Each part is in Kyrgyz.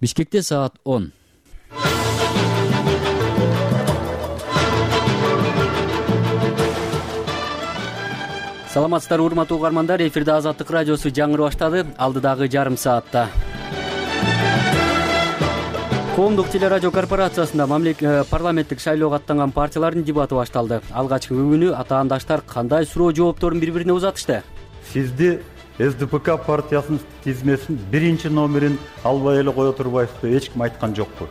Бишкекте саат 10. Саламатсыздар урматтуу угармандар, эфирде Азаттык радиосу жаңыры баштады. Алдыдагы жарым саатта Коомдук телерадио корпорациясында парламенттик шайлоого аттанган партиялардын дебаты башталды. Алгачкы күнү атаандаштар кандай суроо жоопторун бири-бирине узатышты? Сизди СДПК партиясынын тизмесин биринчи номерин албай эле кое турбайсызбы? Эч ким айткан жокпу.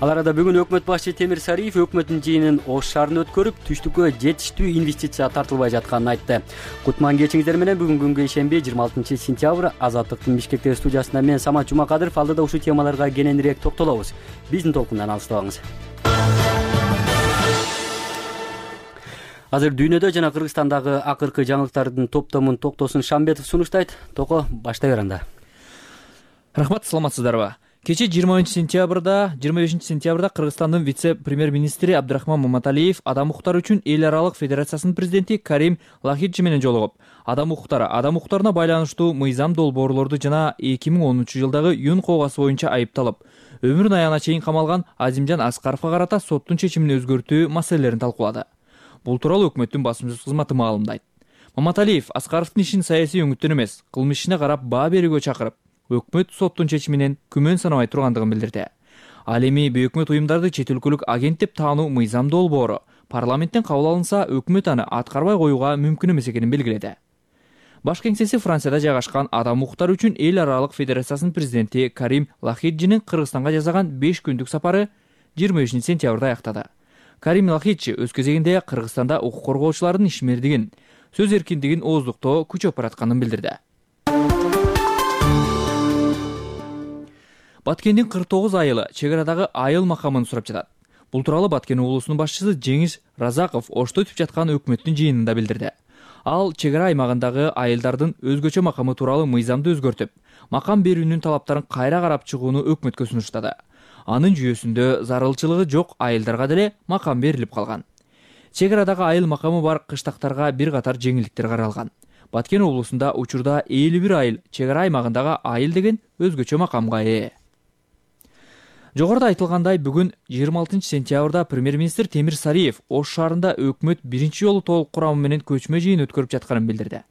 Ал арада бүгүн өкмөт башчы Темир Сариев өкмөттүн жыйынын Ош шаарында өткөрүп, түштүккө жетиштүү инвестиция тартылбай жатканын айтты. Кутман кечиңиздер менен бүгүн күнгө ишемби 26 сентябрь Азаттыктын Бишкектеги студиясында мен Самат Жумакадыров алдыда ушул темаларга кененирээк токтолобуз. Биздин толкундан алыстабаңыз. Азыр дүйнөдө жана Кыргызстандагы акыркы жаңылыктардын топтомун Токтосун Шамбетов сунуштайт. Тoko баштай бер анда. Рахмат, саламатсыздарбы? Кече 25 сентябрда Кыргызстандын вице-премьер-министри Абдрахман Маматалиев адам укуктары үчүн эл аралык федерациясынын президенти Карим Лахиджи менен жолугуп, адам укуктарына байланыштуу мыйзам долбоорлорду жана 2010 жылдагы Юн коогасы боюнча айыпталып, өмүрүнүн аягына чейин камалган Азимжан Аскаровго карата соттун чечимин өзгөртүү маселелерин талкуулады. Бул тууралуу өкмөттүн басым сөз кызматы маалымдайт. Маматалиев Аскаровдун ишин саясий өңүттөн эмес, кылмыш ишине карап баа берүүгө чакырып, өкмөт соттун чечиминен күмөн санабай тургандыгын билдирди. Ал эми бейөкмөт уюмдарды чет өлкөлүк агент деп таануу мыйзам долбоору парламенттен кабыл алынса, өкмөт аны аткарбай коюуга мүмкүн эмес экенин белгиледи. Баш кеңсеси Францияда жайгашкан адам укуктары үчүн эл аралык федерациясынын президенти Карим Лахиджинин Кыргызстанга жасаган 5 күндүк сапары 25 сентябрда аяктады. Карим Лахиджи өз кезегинде Кыргызстанда укук коргоочулардын ишмердигин, сөз эркиндигин ооздуктоо күчөп баратканын билдирди. Баткендин 49 айылы чек арадагы айыл макамын сурап жатат. Бул тууралуу Баткен облусунун башчысы Жеңиш Разаков Ошто өтүп жаткан өкмөттүн жыйынында билдирди. Ал чек ара аймагындагы айылдардын өзгөчө макамы тууралуу мыйзамды өзгөртүп, макам берүүнүн талаптарын кайра карап чыгууну өкмөткө сунуштады. Анын жүйөсүндө зарылчылыгы жок айылдарга деле макам берилип калган. Чек арадагы айыл макамы бар кыштактарга бир катар жеңилдиктер каралган. Баткен облусунда учурда 51 айыл чек ара аймагындагы айыл деген өзгөчө макамга ээ. Жогоруда айтылгандай, бүгүн 26 сентябрда премьер-министр Темир Сариев Ош шаарында өкмөт биринчи жолу толук курамы менен көчмө жыйын өткөрүп жатканын билдирди.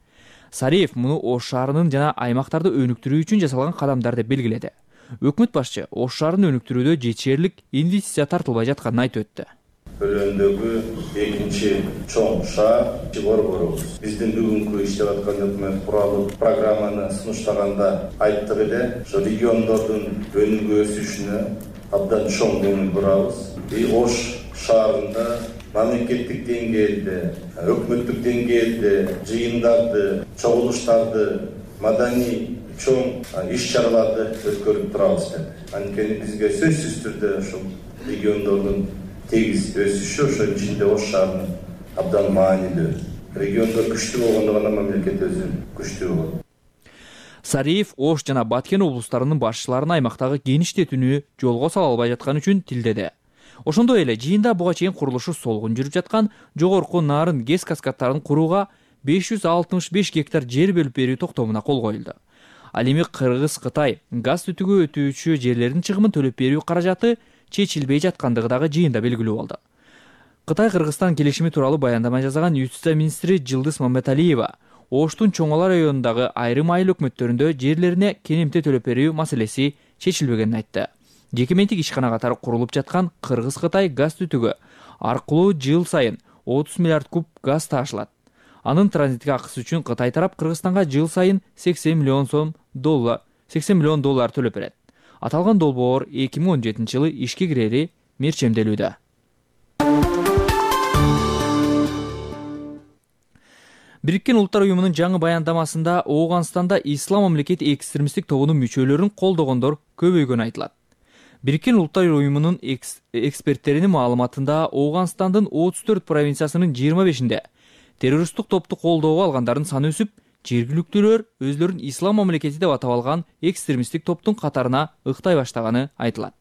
Сариев муну Ош шаарынын жана аймактарды өнүктүрүү үчүн жасалган кадамдар деп белгиледи. Өкмөт башчы Ош шаарын өнүктүрүүдө жетишерлик инвестиция тартылбай жатканын айтып өттү. Өлөндөгү экинчи чоң шаар Борборубуз. Биздин бүгүнкү иштеп аткан өкмөт куралуу программаны сунуштаганда айттык эле, ошо региондордун өнүгүү өсүшүнө абдан чоң көңүл бурабыз. Ош шаарында мамлекеттик деңгээлде, өкмөттүк деңгээлде жыйындарды, чогулуштарды, маданий чоң иш-чараларды өткөрүп турабыз деп. Анткени бизге сөзсүз түрдө ошол региондордун тегиз өсүшү, ошонун ичинде Ош шаарынын абдан маанилүү. Региондор күчтүү болгондо гана мамлекет өзү күчтүү болот. Сариев Ош жана Баткен облустарынын башчыларын аймактагы кеңиштетүүнү жолго сала албай жаткан үчүн тилдеди. Ошондой эле жыйында буга чейин курулушу солгун жүрүп жаткан жогорку нарын ГЭС каскадтарын курууга 565 гектар жер бөлүп берүү токтомуна кол коюлду. Ал эми Кыргыз-Кытай газ түтүгү өтүүчү жерлердин чыгымын төлөп берүү каражаты чечилбей жаткандыгы дагы жыйында белгилүү болду. Кытай-Кыргызстан келишими тууралуу баяндама жасаган юстиция министри Жылдыз Маматалиева Оштун Чоңала районундагы айрым айыл өкмөттөрүндө жерлерине кенемте төлөп берүү маселеси чечилбегенин айтты. Жеке ментик ишкана катары курулуп жаткан Кыргыз-Кытай газ түтүгү аркылуу жыл сайын 30 миллиард куб газ таашылат. Анын транзиттик акысы үчүн Кытай тарап Кыргызстанга жыл сайын 80 миллион доллар төлөп берет. Аталган долбоор 2017 жылы ишке кирери мерчемделүүдө. Бириккен Улуттар уюмунун жаңы баяндамасында Ооганстанда Ислам мамлекети экстремисттик тобунун мүчөлөрүн колдогондор көбөйгөнү айтылат. Бириккен Улуттар уюмунун эксперттеринин маалыматында Ооганстандын 34 провинциясынын 25-inde террористтик топту колдоого алгандардын саны өсүп, жергиликтүүлөр өзлөрүн Ислам мамлекети деп атап алган экстремисттик топтун катарына ыктай баштаганы айтылат.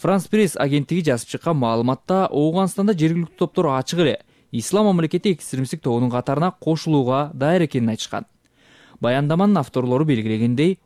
France Press агенттиги жазып чыккан маалыматта Ооганстанда жергиликтүү топтор ачык эле Ислам мамлекети экстремисттик тобунун катарына кошулууга даяр экенин айтышкан. Баяндаманын авторлору белгилегендей,